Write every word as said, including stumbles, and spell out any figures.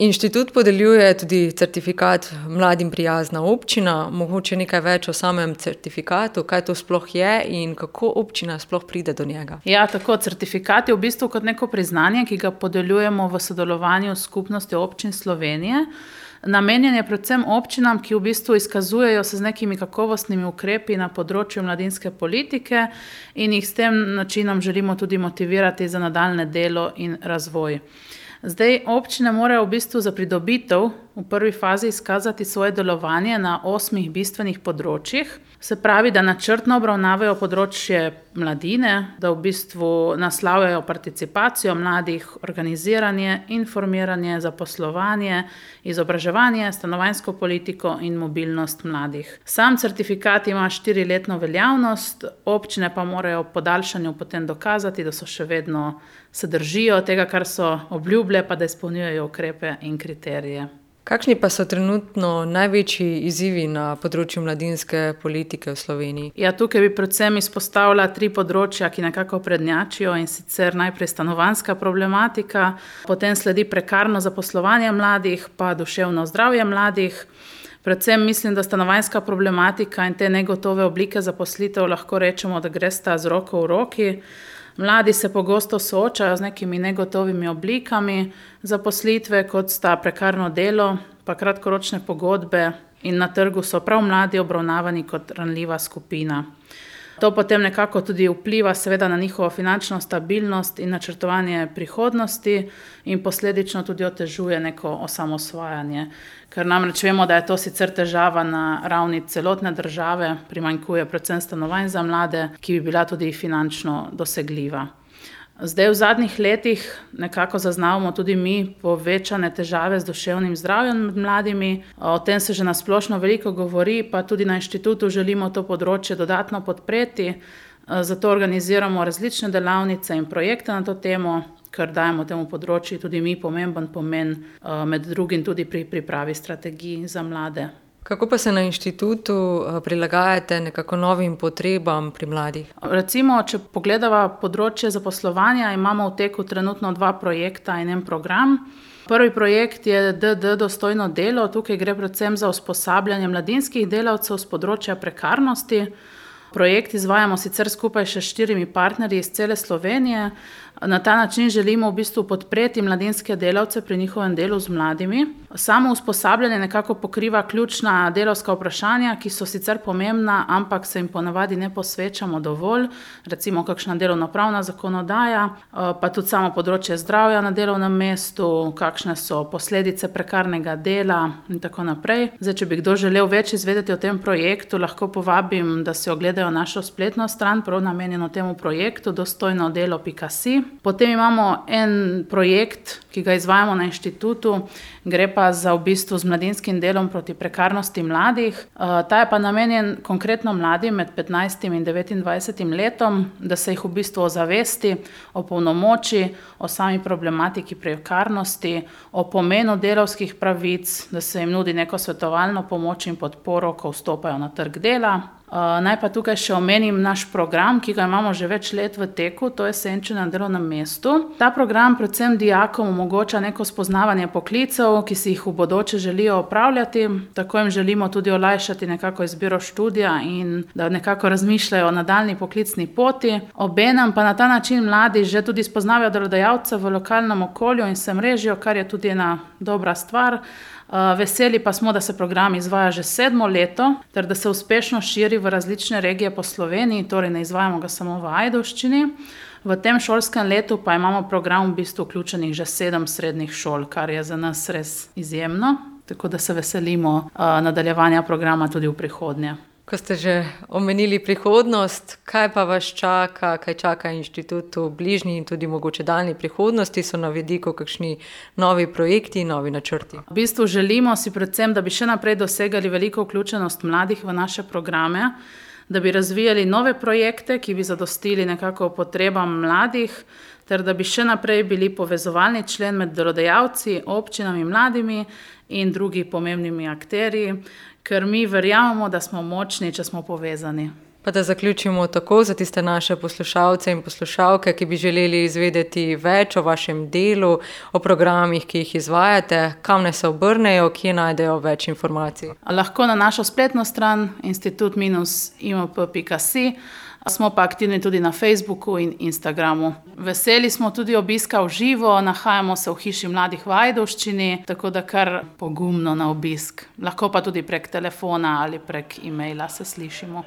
Inštitut podeljuje tudi certifikat Mladim prijazna občina. Mogoče nekaj več o samem certifikatu, kaj to sploh je in kako občina sploh pride do njega. Ja, tako, certifikat je v bistvu kot neko priznanje, ki ga podeljujemo v sodelovanju s Skupnostjo občin Slovenije. Namenjen je predvsem občinam, ki v bistvu izkazujejo se z nekimi kakovostnimi ukrepi na področju mladinske politike in jih s tem načinom želimo tudi motivirati za nadaljnje delo in razvoj. Zdaj, občine morajo v bistvu za pridobitev v prvi fazi izkazati svoje delovanje na osmih bistvenih področjih. Se pravi, da načrtno obravnavajo področje mladine, da v bistvu naslavljajo participacijo mladih, organiziranje, informiranje, zaposlovanje, izobraževanje, stanovanjsko politiko in mobilnost mladih. Sam certifikat ima štiriletno veljavnost, občine pa morajo po podaljšanju potem dokazati, da so še vedno se držijo tega, kar so obljubile, pa da izpolnjujejo ukrepe in kriterije. Kakšni pa so trenutno največji izzivi na področju mladinske politike v Sloveniji? Ja, tukaj bi predvsem izpostavila tri področja, ki nekako prednjačijo, in sicer najprej stanovanjska problematika, potem sledi prekarno zaposlovanje mladih, pa duševno zdravje mladih. Predvsem mislim, da stanovanjska problematika in te negotove oblike zaposlitev lahko rečemo, da gresta z roko v roki. Mladi se pogosto soočajo z nekimi negotovimi oblikami zaposlitve, kot sta prekarno delo, pa kratkoročne pogodbe, in na trgu so prav mladi obravnavani kot ranljiva skupina. To potem nekako tudi vpliva seveda na njihovo finančno stabilnost in načrtovanje prihodnosti in posledično tudi otežuje neko osamosvajanje. Ker namreč vemo, da je to sicer težava na ravni celotne države, primanjkuje predvsem stanovanj za mlade, ki bi bila tudi finančno dosegljiva. Zdaj v zadnjih letih nekako zaznavamo tudi mi povečane težave z duševnim zdravjem med mladimi. O tem se že na splošno veliko govori, pa tudi na inštitutu želimo to področje dodatno podpreti. Zato organiziramo različne delavnice in projekte na to temo, ker dajemo temu področju tudi mi pomemben pomen, med drugim tudi pri pripravi strategij za mlade. Kako pa se na inštitutu prilagajate nekako novim potrebam pri mladih? Recimo, če pogledava področje zaposlovanja, imamo v teku trenutno dva projekta in en program. Prvi projekt je D D Dostojno delo. Tukaj gre predvsem za usposabljanje mladinskih delavcev s področja prekarnosti. Projekt izvajamo sicer skupaj še s štirimi partnerji iz cele Slovenije. Na ta način želimo v bistvu podpreti mladinske delavce pri njihovem delu z mladimi. Samo usposabljanje nekako pokriva ključna delavska vprašanja, ki so sicer pomembna, ampak se jim ponavadi ne posvečamo dovolj. Recimo kakšna delovnopravna zakonodaja, pa tudi samo področje zdravja na delovnem mestu, kakšne so posledice prekarnega dela in tako naprej. Zdaj, če bi kdo želel več izvedeti o tem projektu, lahko povabim, da si ogledajo našo spletno stran, prav namenjeno temu projektu dostojno delo pika si. Potem imamo en projekt, ki ga izvajamo na inštitutu, gre pa za v bistvu z mladinskim delom proti prekarnosti mladih. Ta je pa namenjen konkretno mladim med petnajstim in devetindvajsetim letom, da se jih v bistvu ozavesti, opolnomoči o sami problematiki prekarnosti, o pomenu delavskih pravic, da se jim nudi neko svetovalno pomoč in podporo, ko vstopajo na trg dela. Naj pa tukaj še omenim naš program, ki ga imamo že več let v teku, to je Senčenje na delovnem mestu. Ta program predvsem dijakom omogoča neko spoznavanje poklicev, ki si jih v bodoče želijo opravljati. Tako jim želimo tudi olajšati nekako izbiro študija in da nekako razmišljajo o nadaljnji poklicni poti. Obenem pa na ta način mladi že tudi spoznavajo delodajalce v lokalnem okolju in se mrežijo, kar je tudi ena dobra stvar. Veseli pa smo, da se program izvaja že sedmo leto, ter da se uspešno širi v različne regije po Sloveniji, torej ne izvajamo ga samo v Ajdovščini. V tem šolskem letu pa imamo program v bistvu vključenih že sedem srednjih šol, kar je za nas res izjemno, tako da se veselimo nadaljevanja programa tudi v prihodnje. Ko ste že omenili prihodnost, kaj pa vas čaka, kaj čaka inštitut v bližnji in tudi mogoče daljni prihodnosti, so na vidiku kakšni novi projekti, novi načrti? V bistvu želimo si predvsem, da bi še naprej dosegali veliko vključenost mladih v naše programe, da bi razvijali nove projekte, ki bi zadostili nekako potrebam mladih, ter da bi še naprej bili povezovalni člen med delodajalci, občinami, mladimi in drugi pomembnimi akterji, ker mi verjamemo, da smo močni, če smo povezani. Pa da zaključimo tako za tiste naše poslušalce in poslušalke, ki bi želeli izvedeti več o vašem delu, o programih, ki jih izvajate, kam naj se obrnejo, kje najdejo več informacij. Lahko na našo spletno stran institut dash i m p pika si. Smo pa aktivni tudi na Facebooku in Instagramu. Veseli smo tudi obiska v živo, nahajamo se v Hiši mladih v Ajdovščini, tako da kar pogumno na obisk. Lahko pa tudi prek telefona ali prek e-maila se slišimo.